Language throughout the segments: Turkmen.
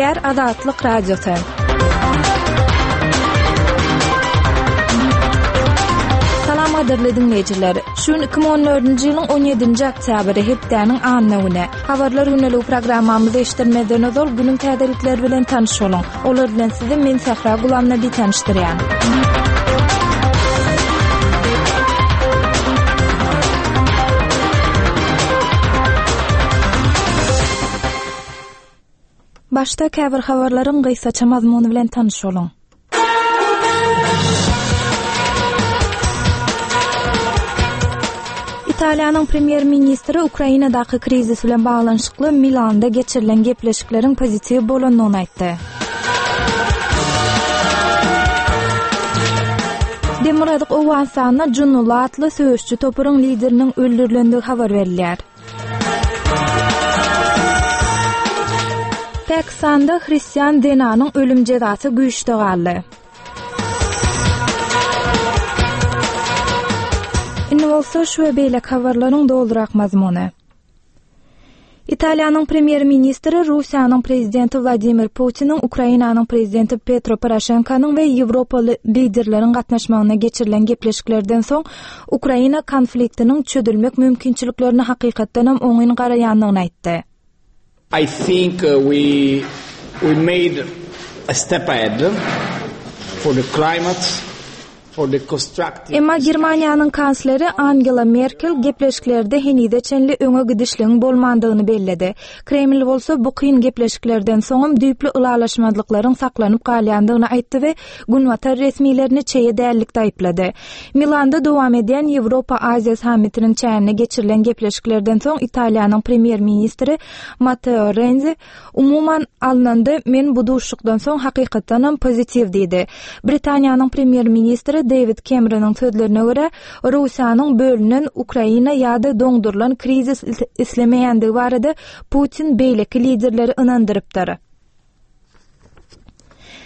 Gepleýär Azatlyk Radiosy. Salam gadyrly diňleýjiler. Şu gün 2014-nji ýylyň 17-nji oktýabry, hepdäniň anna güni. Habarlar güneligi programmamyzy eşitdirmezden ozal günüň täzelikleri bilen tanyş boluň. Olar bilen sizi men Sähra Gulamnabi tanyşdyrýan. Başda käbir habarlaryň gysgaça mazmuny bilen tanyş boluň. Italiýanyň premýer-ministri Ukrainadaky krizis bilen baglanyşykly Milanda geçirilen gepleşikleriň pozitiw bolandygyny aýtdy. Demirgazyk Owganystanda Junnulla atly söweşçi toparyň lideriniň öldürilendigi habar berilýär. Pakistanda hristian zenanyň ölüm jezasy güýçde galdy. Indi bolsa şu we beýleki habarlaryň dolurak mazmuny. Italiýanyň premýer-ministri Russiýanyň prezidenti Wladimir Putiniň Ukrainanyň prezidenti Petro Poroşenkonyň we ýewropaly liderleriň gatnaşmagynda geçirilen gepleşiklerden soň Ukraina konfliktiniň çözülmek mümkinçiliklerine hakykatdanam oňyn garaýandygyny aýtdy. I think uh, we we made a step ahead for the climate Emma Germaniýanyň kansleri Angela Merkel gepleşiklerde henize çenli öňe gidişligiň bolmandygyny belledi. Kreml bolsa bu kyn gepleşiklerden soňam düýpli ylalaşmazlyklaryň saklanyp galýandygyny aýtdy we Günbatar resmilerini çeýe dällikde aýyplady. Milanda dowam edýän Ýewropa-Aziýa sammitiniň çäginde geçirilen gepleşiklerden soň Italiýanyň premýer-ministri Matteo Renzi Umuman alnanda, men bu duşuşykdan soň hakykatdanam pozitiw diýdi. Britaniýanyň premýer-ministri Deýwid Kemronyň sözlerine görä, Russiýanyň bölünen Ukraina ýa-da doňdurylan krizis islemeýändigi barada Putin beýleki liderleri ynandyrypdyr.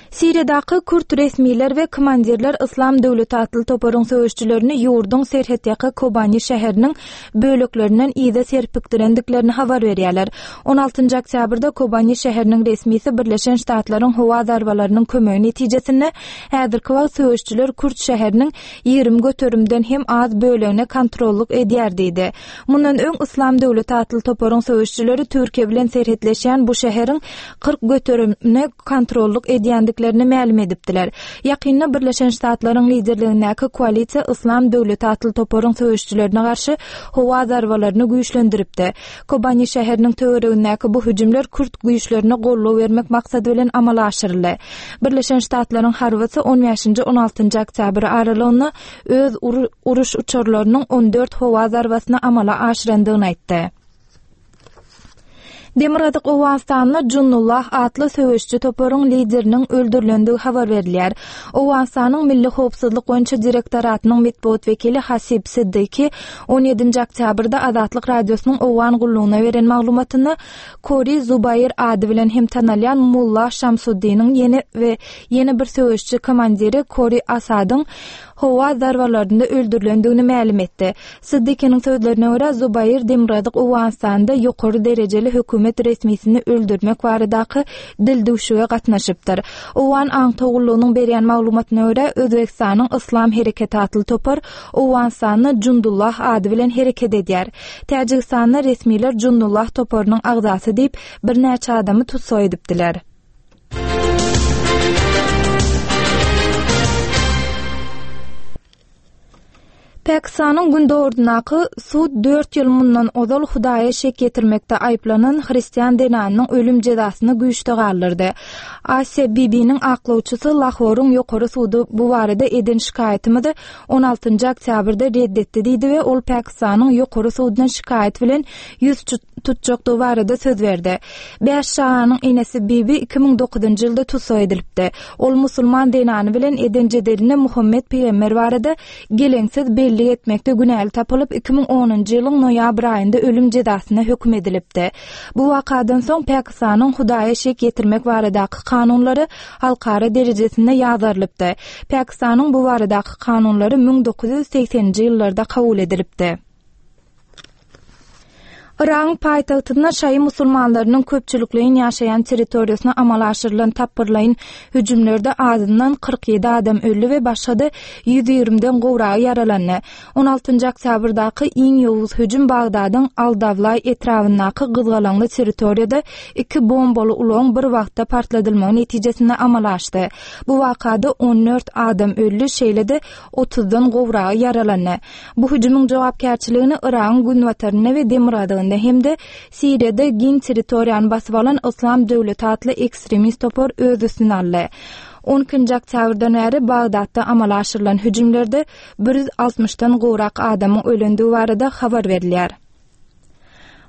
Siriýadaky kürt resmiler we komandirler Yslam döwleti atly toparyň söweşçilerini ýurduň serhetýaka Kobani şäheriniň böleklerinden yza serpikdirendiklerini habar berýärler. 16-njy oktýabrda Kobani şäheriniň resmisi Birleşen Ştatlaryň howa zarbalarynyň kömegi netijesinde häzirki wagt söweşçiler kürt şäheriniň 20 göterimden hem az bölegine kontrollyk edýär diýdi. Mundan öň Yslam döwleti atly toparyň söweşçileri Türkiýe bilen serhetleşýän bu şäheriň 40 göterimine kontrollyk edýändiklerini mälim edipdiler. Ýakynda Birleşen Ştatlaryň liderligindäki koalisiýa Yslam döwleti atly toparyň söweşçilerine garşy howa zarbalaryny güýçlendiripdi. Kobani şäheriniň töweregindäki bu hüjümler kürt güýçlerine goldaw bermek maksady bilen amala aşyryldy. Birleşen Ştatlaryň harbysy on bäşinji, on altynjy oktýabr aralygynda öz uruş uçarlarynyň on dört howa zarbasyny amala aşyrandygyny aýtdy. Demirgazyk Owganystanda Junnullah atly söweşiji toparyň lideriniň öldürilendigi habar berilýär. Owganystanyň Milli howpsuzlyk boýunça direktoratynyň metbugat wekili Hasib Siddiqi on ýedinji oktýabrda Azatlyk Radiosynyň Owgan gullugyna beren maglumatynda Kori Zubair ady bilen hem tanalýan Mulla Şamsuddiniň ýene we ýene bir söweşiji komandiri Kori Asadyň howa zarbalarynda öldürilendigini mälim etdi. Siddikiniň sözlerine görä, Zubair Demirgazyk Owganystanda ýokary derejeli hökümet resmisini öldürmek baradaky dildüwşüge gatnaşypdyr. Owgan aňtaw gullugynyň berýän maglumatyna görä, Özbegistanyň Yslam hereketi atly topar Owganystanda Jundullah ady bilen hereket edýär. Täjigistanda resmiler Jundullah toparynyň agzasy diýip, birnäçe adamy tussag edipdiler. Pakistanyň gündogaryndaky sud dört ýyl mundan ozal Hudaýa şek ýetirmekde aýyplanan hristian zenanynyň ölüm jezasyny güýçde galdyrdy. Asiýa Bibiniň aklawçysy Lahoryň ýokary sudy bu barada eden şikaýatymyzy on altynjy oktýabrda red etdi diýdi we ol Pakistanyň ýokary suduna şikaýat bilen ýüz tutjakdygy barada söz berdi. Bäş çaganyň enesi Bibi 2009-njy ýylda tussag edilipdi. Ol musulman zenany bilen eden jedelinde Muhammet pygamber barada geleňsiz bellik etmekde günäli tapylyp, 2010-njy ýylyň noýabr aýynda ölüm jezasyna höküm edilipdi. Bu wakadan soň Pakistanyň Hudaýa şek ýetirmek baradaky kanunlary halkara derejesinde ýazgarylypdy. Pakistanyň bu baradaky kanunlary 1980-nji ýyllarda kabul edilipdi. Yragyň paýtagtynda şaýy musulmanlarynyň köpçülikleýin ýaşaýan territoriýasyna amala aşyrylan tapgyrlaýyn hüjümlerde azyndan 47 adam öldi we başga-da 120-den gowragy ýaralandy. On altynjy oktýabrdaky iň ýowuz hüjüm Bagdadyň Al-Dawlaý etrabyndaky gyzgalaňly territoriýada iki bombaly ulagyň bir wagtda partladylmagy netijesinde amala aşdy. Bu wakada 14 adam öldi, şeýle-de otuzdan gowragy ýaralandy. Bu hüjümiň jogapkärçiligini Yragyň günbatarynda we demirgazygynda hem-de Siriýada giň territoriýany basyp alan Yslam döwleti atly ekstremist topar öz üstüne aldy. On ikinji oktýabrdan bäri Bagdatda amala aşyrylan hüjümlerde 160-dan gowrak adamyň ölendigi barada habar berilýär.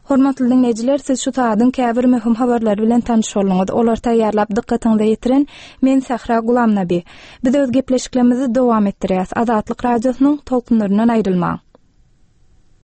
Hormatly diňleýjiler, siz şu sagadyň käbir möhüm habarlary bilen tanyş bolduňyz. Olary taýýarlap dykgatyňyza ýetiren men Sähra Gulamnabi. Biz öz gepleşiklerimizi dowam etdirýäs. Azatlyk Radiosynyň tolkunlaryndan aýrylmaň.